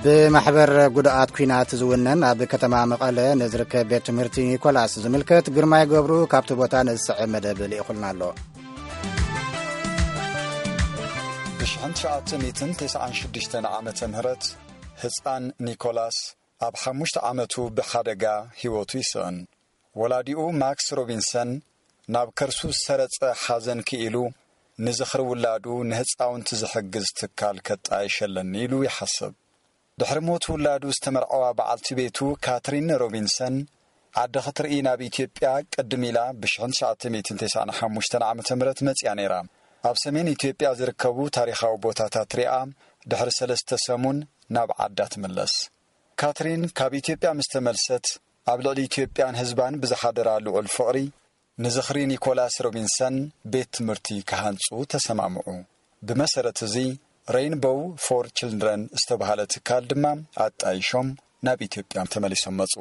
ብማሕበር ጉድኣት ኲናት ዝውነን ኣብ ከተማ መቐለ ንዝርከብ ቤት ትምህርቲ ኒኮላስ ዝምልከት ግርማይ ገብሩ ካብቲ ቦታ ንዝስዕብ መደብ ልኢኹልና ኣሎ። ብ1996 ዓመተ ምህረት ህጻን ኒኮላስ ኣብ ሓሙሽተ ዓመቱ ብሓደጋ ህይወቱ ይስእን። ወላዲኡ ማክስ ሮቢንሰን ናብ ከርሱ ዝሰረጸ ሓዘን ክኢሉ ንዝኽሪ ውላዱ ንህጻውንቲ ዝሕግዝ ትካል ከጣይሸለኒ ኢሉ ይሓስብ። ድሕሪ ሞት ውላዱ ዝተመርዐዋ በዓልቲ ቤቱ ካትሪን ሮቢንሰን ዓዲ ክትርኢ ናብ ኢትዮጵያ ቅድም ኢላ ብ1995 ዓመተ ምህረት መጺኣ ነይራ። ኣብ ሰሜን ኢትዮጵያ ዝርከቡ ታሪኻዊ ቦታታት ሪኣ ድሕሪ ሰለስተ ሰሙን ናብ ዓዳ ትምለስ። ካትሪን ካብ ኢትዮጵያ ምስ ተመልሰት ኣብ ልዕሊ ኢትዮጵያን ህዝባን ብዝሓደራ ልዑል ፍቕሪ ንዝኽሪ ኒኮላስ ሮቢንሰን ቤት ትምህርቲ ክሃንጹ ተሰማምዑ። ብመሰረት እዚ ሬይንቦው ፎር ችልድረን ዝተባህለ ትካል ድማ ኣጣይሾም ናብ ኢትዮጵያ ተመሊሶም መጹ።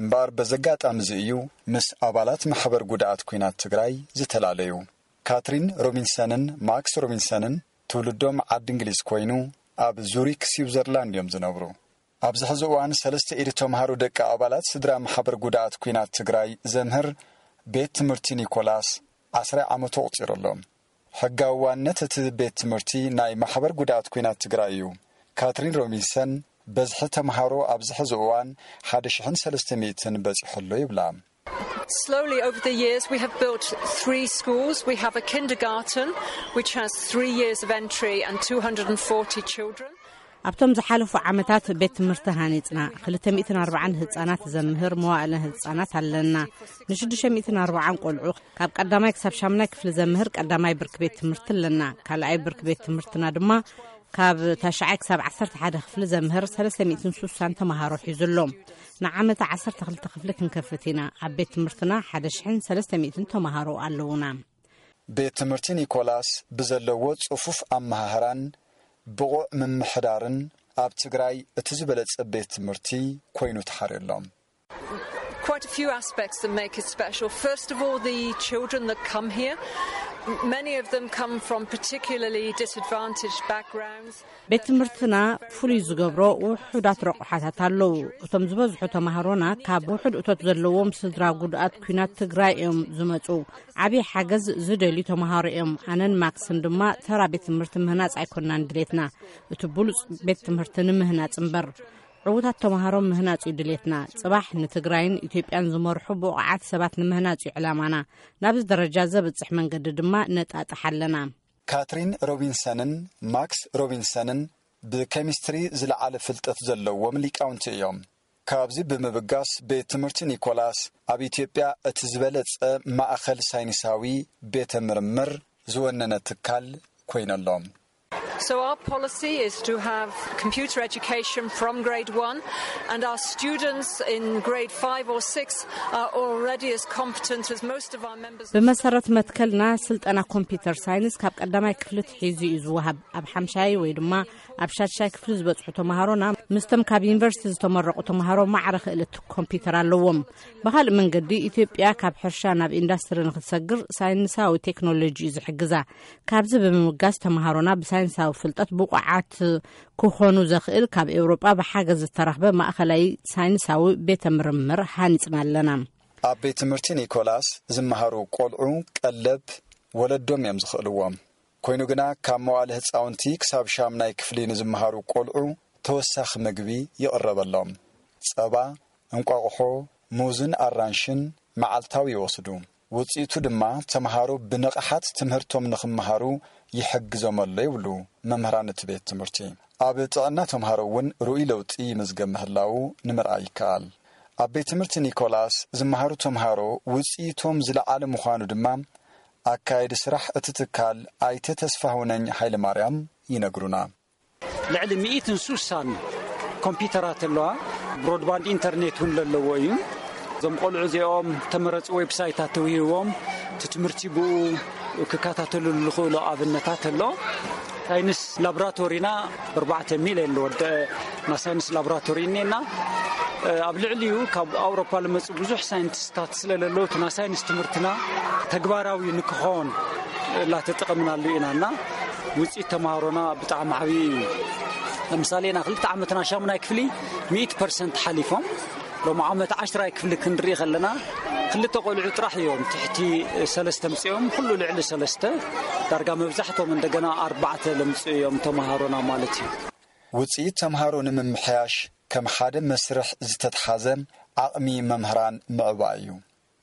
እምበኣር በዚ ኣጋጣሚ እዚ እዩ ምስ ኣባላት ማሕበር ጉድኣት ኲናት ትግራይ ዝተፈላለዩ። ካትሪን ሮቢንሰንን ማክስ ሮቢንሰንን ትውልዶም ዓዲ እንግሊዝ ኮይኑ ኣብ ዙሪክ ስዊዘርላንድ እዮም ዝነብሩ። ኣብዚ ሕዚ እዋን ሰለስተ ኢድ ተምሃሮ ደቂ ኣባላት ስድራ ማሕበር ጉድኣት ኲናት ትግራይ ዘምህር ቤት ትምህርቲ ኒኮላስ ዓስራ ዓመቱ ኣቑጺሩ ኣሎ። ሕጋዊ ዋነት እቲ ቤት ትምህርቲ ናይ ማሕበር ጉድኣት ኲናት ትግራይ እዩ። ካትሪን ሮቢንሰን በዝሒ ተምሃሮ ኣብዚ ሕዚ እዋን ሓደ ሽሕን ሰለስተ ሚእትን በጺሑ ኣሎ ይብላ። Slowly over the years we have built three schools. We have a kindergarten which has three years of entry and two hundred and forty children. ኣብቶም ዝሓለፉ ዓመታት ቤት ትምህርቲ ሃኒጽና፣ ክልተ ሚእትን ኣርባዓን ህጻናት ዘምህር መዋእለ ህጻናት ኣለና። ን640 ቆልዑ ካብ ቀዳማይ ክሳብ ሻምናይ ክፍሊ ዘምህር ቀዳማይ ብርኪ ቤት ትምህርቲ ኣለና። ካልኣይ ብርኪ ቤት ትምህርትና ድማ ካብ ታሽዓይ ክሳብ ዓሰርተ ሓደ ክፍሊ ዘምህር ሰለስተ ሚእትን ስሳን ተምሃሮ ሒዙ ኣሎ። ንዓመታ ዓሰርተ ክልተ ክፍሊ ክንከፍት ኢና። ኣብ ቤት ትምህርትና ሓደ ሽሕን ሰለስተ ሚእትን ተምሃሮ ኣለዉና። ቤት ትምህርቲ ኒኮላስ ብዘለዎ ጽፉፍ ኣመሃህራን ብቑዕ ምምሕዳርን ኣብ ትግራይ እቲ ዝበለጸ ቤት ትምህርቲ ኮይኑ ተሓርዩ ኣሎ። Quite a few aspects that make it special. First of all, the children that come here. Many of them come from particularly disadvantaged backgrounds. ቤት ትምህርትና ፍሉይ ዝገብሮ ውሑዳት ረቑሓታት ኣለዉ። እቶም ዝበዝሑ ተምሃሮና ካብ ውሑድ እቶት ዘለዎም ስድራ ጉድኣት ኲናት ትግራይ እዮም ዝመጹ። ዓብዪ ሓገዝ ዝደልዩ ተምሃሮ እዮም። ኣነን ማክስን ድማ ተራ ቤት ትምህርቲ ምህናጽ ኣይኮናን ድሌትና፣ እቲ ብሉጽ ቤት ትምህርቲ ንምህናጽ እምበር። ዕዉታት ተምሃሮ ምህናጽ እዩ ድሌትና። ጽባሕ ንትግራይን ኢትዮጵያን ዝመርሑ ብቑዓት ሰባት ንምህናጽ እዩ ዕላማና። ናብዚ ደረጃ ዘብጽሕ መንገዲ ድማ ነጣጥሕ ኣለና። ካትሪን ሮቢንሰንን ማክስ ሮቢንሰንን ብኬሚስትሪ ዝለዓለ ፍልጠት ዘለዎም ሊቃውንቲ እዮም። ካብዚ ብምብጋስ ቤት ትምህርቲ ኒኮላስ ኣብ ኢትዮጵያ እቲ ዝበለጸ ማእኸል ሳይንሳዊ ቤተ ምርምር ዝወነነ ትካል ኮይነሎም። So our policy is to have computer education from grade one, and our students in grade five or six are already as competent as most of our members. ብመሰረት መትከልና ስልጠና ኮምፒውተር ሳይንስ ካብ ቀዳማይ ክፍሊ ትሒዙ እዩ ዝወሃብ። ኣብ ሓምሻይ ወይ ድማ ኣብ ሻድሻይ ክፍሊ ዝበጽሑ ተምሃሮና ምስቶም ካብ ዩኒቨርሲቲ ዝተመረቑ ተምሃሮ ማዕረ ክእለት ኮምፒውተር ኣለዎም። ብኻልእ መንገዲ ኢትዮጵያ ካብ ሕርሻ ናብ ኢንዳስትሪ ንክትሰግር ሳይንሳዊ ቴክኖሎጂ እዩ ዝሕግዛ። ካብዚ ብምብጋስ ተምሃሮና ብሳይንሳዊ ፍልጠት ብቑዓት ክኾኑ ዘኽእል ካብ ኤውሮጳ ብሓገዝ ዝተረኽበ ማእኸላይ ሳይንሳዊ ቤተ ምርምር ሃኒጽና ኣለና። ኣብ ቤት ትምህርቲ ኒኮላስ ዝመሃሩ ቆልዑ ቀለብ ወለዶም እዮም ዝኽእልዎም። ኮይኑ ግና ካብ መዋእለ ህፃውንቲ ክሳብ ሻምናይ ክፍሊ ንዝመሃሩ ቆልዑ ተወሳኺ ምግቢ ይቕረበሎም። ጸባ፣ እንቋቑሖ፣ ሙዝን ኣራንሽን መዓልታዊ ይወስዱ። ውጽኢቱ ድማ ተምሃሮ ብንቕሓት ትምህርቶም ንኽመሃሩ ይሕግዞም ኣሎ ይብሉ መምህራን እቲ ቤት ትምህርቲ። ኣብ ጥዕና ተምሃሮ እውን ርኡይ ለውጢ ይምዝገብ ምህላዉ ንምርኣይ ይከኣል። ኣብ ቤት ትምህርቲ ኒኮላስ ዝመሃሩ ተምሃሮ ውጽኢቶም ዝለዓለ ምዃኑ ድማ ኣካየዲ ስራሕ እቲ ትካል ኣይተ ተስፋሁነኝ ሃይለማርያም ይነግሩና። ልዕሊ ሚእትን ሱሳን ኮምፒውተራት ኣለዋ። ብሮድባንድ ኢንተርኔት እውን ዘለዎ እዩ። እዞም ቆልዑ እዚኦም ተመረፁ ዌብሳይታት ተውሂዎም እቲ ትምህርቲ ብኡ ክከታተልሉ ዝኽእሉ ኣብነታት ኣሎ። ሳይንስ ላቦራቶሪና ኣርባዕተ ሚልዮን ዝወደአ ናይ ሳይንስ ላቦራቶሪ እኒኤና። ኣብ ልዕሊኡ ካብ ኣውሮፓ ዝመፁ ብዙሕ ሳይንቲስታት ስለ ዘለዉ እቲ ናይ ሳይንስ ትምህርትና ተግባራዊ ንክኾን እናተጠቐምናሉ ኢና እና ውፅኢት ተምሃሮና ብጣዕሚ ዓብዪ እዩ። ምሳሌ ና ክልተ ዓመትና ሻሙናይ ክፍሊ ሚእቲ ፐርሰንት ሓሊፎም፣ ሎም ዓመት ዓሽራይ ክፍሊ ክንርኢ ከለና ክልተ ቆልዑ ጥራሕ እዮም ትሕቲ ሰለስተ ምፅኦም። ኩሉ ልዕሊ ሰለስተ፣ ዳርጋ መብዛሕቶም እንደገና ኣርባዕተ ለምፅኡ እዮም ተምሃሮና ማለት እዩ። ውፅኢት ተምሃሮ ንምምሕያሽ ከም ሓደ መስርሕ ዝተትሓዘ ዓቕሚ መምህራን ምዕባይ እዩ።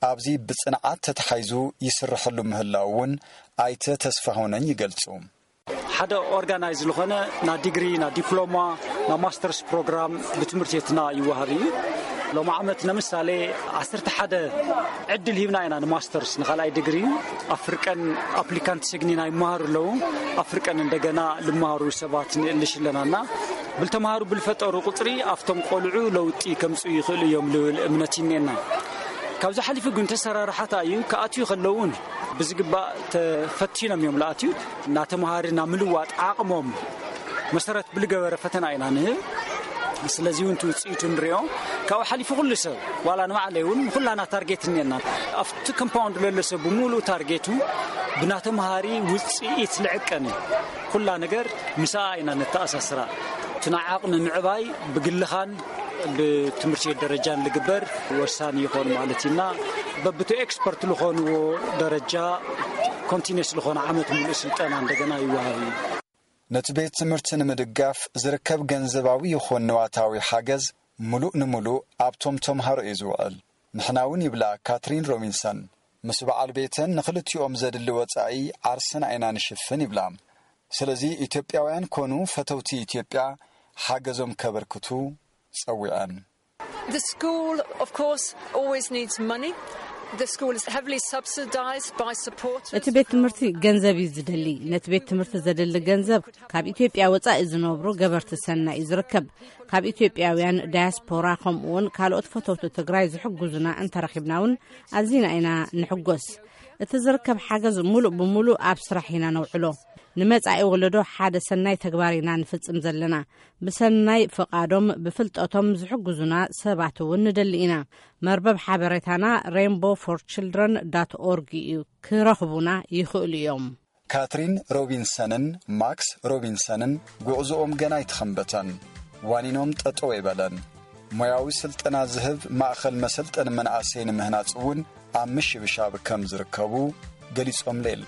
ኣብዚ ብፅንዓት ተተሓይዙ ይስርሐሉ ምህላው እውን ኣይተ ተስፋሆነኝ ይገልፁ። ሓደ ኦርጋናይዝ ዝኾነ ና ዲግሪ፣ ና ዲፕሎማ፣ ና ማስተርስ ፕሮግራም ብትምህርቲ ቤትና ይወሃብ እዩ። ሎም ዓመት ንምሳሌ ዓሰርተ ሓደ ዕድል ሂብና ኢና ንማስተርስ፣ ንኻልኣይ ዲግሪ። ኣፍርቀን ኣፕሊካንት ስግኒና ይመሃሩ ኣለዉ። ኣፍርቀን እንደገና ልመሃሩ ሰባት ንእልሽ ኣለናና ብልተምሃሩ ብልፈጠሩ ቁፅሪ ኣብቶም ቆልዑ ለውጢ ከምፅኡ ይኽእሉ እዮም ልብል እምነት ይኔና። ካብዚ ሓሊፉ ግን ተሰራርሓታ እዩ። ክኣትዩ ከለውን ብዝግባእ ተፈቲኖም እዮም ለኣትዩ። እናተምሃሪ ናብ ምልዋጥ ዓቕሞም መሰረት ብልገበረ ፈተና ኢና ንህብ። ስለዚ እውን ትውፅኢቱ ንሪኦ። ካብኡ ሓሊፉ ኩሉ ሰብ ዋላ ንባዕለይ እውን ኩላና ታርጌት እኒአና። ኣብቲ ኮምፓውንድ ለሎ ሰብ ብምሉእ ታርጌቱ ብናተምሃሪ ውፅኢት ልዕቀን እዩ። ኩላ ነገር ምስኣ ኢና ነተኣሳስራ። እቲ ናይ ዓቕሚ ምዕባይ ብግልኻን ብትምህርቲ ቤት ደረጃን ልግበር ወሳኒ ይኾን ማለት እዩና። በብቲ ኤክስፐርት ልኾንዎ ደረጃ ኮንቲኒስ ልኾነ ዓመት ሙሉእ ስልጠና እንደገና ይወሃብ እዩ። ነቲ ቤት ትምህርቲ ንምድጋፍ ዝርከብ ገንዘባዊ ይኹን ንዋታዊ ሓገዝ ሙሉእ ንሙሉእ ኣብቶም ተምሃሮ እዩ ዝውዕል። ንሕና እውን ይብላ ካትሪን ሮቢንሰን፣ ምስ በዓል ቤተን ንክልቲኦም ዘድሊ ወጻኢ ዓርስና ኢና ንሽፍን ይብላ። ስለዚ ኢትዮጵያውያን ኮኑ ፈተውቲ ኢትዮጵያ ሓገዞም ከበርክቱ ጸዊዐን። The school, of course, always needs money. The school is heavily subsidised by support. እቲ ቤት ትምህርቲ ገንዘብ እዩ ዝደሊ። ነቲ ቤት ትምህርቲ ዘድሊ ገንዘብ ካብ ኢትዮጵያ ወጻኢ ዝነብሩ ገበርቲ ሰናይ እዩ ዝርከብ። ካብ ኢትዮጵያውያን ዳያስፖራ ከምኡውን ካልኦት ፈተውቲ ትግራይ ዝሕግዙና እንተረኺብና እውን ኣዚና ኢና ንሕጎስ። እቲ ዝርከብ ሓገዝ ሙሉእ ብሙሉእ ኣብ ስራሕ ኢና ነውዕሎ። ንመጻኢ ወለዶ ሓደ ሰናይ ተግባር ኢና ንፍጽም ዘለና። ብሰናይ ፍቓዶም ብፍልጠቶም ዝሕግዙና ሰባት እውን ንደሊ ኢና። መርበብ ሓበሬታና rainbow for children dot org እዩ። ክረኽቡና ይኽእሉ እዮም። ካትሪን ሮቢንሰንን ማክስ ሮቢንሰንን ጉዕዞኦም ገና ኣይተኸንበተን። ዋኒኖም ጠጠው ኣይበለን። ሞያዊ ስልጠና ዝህብ ማእኸል መሰልጠኒ መናእሰይ ንምህናፅ እውን ኣብ ምሽብሻብ ከም ዝርከቡ ገሊፆምለይ።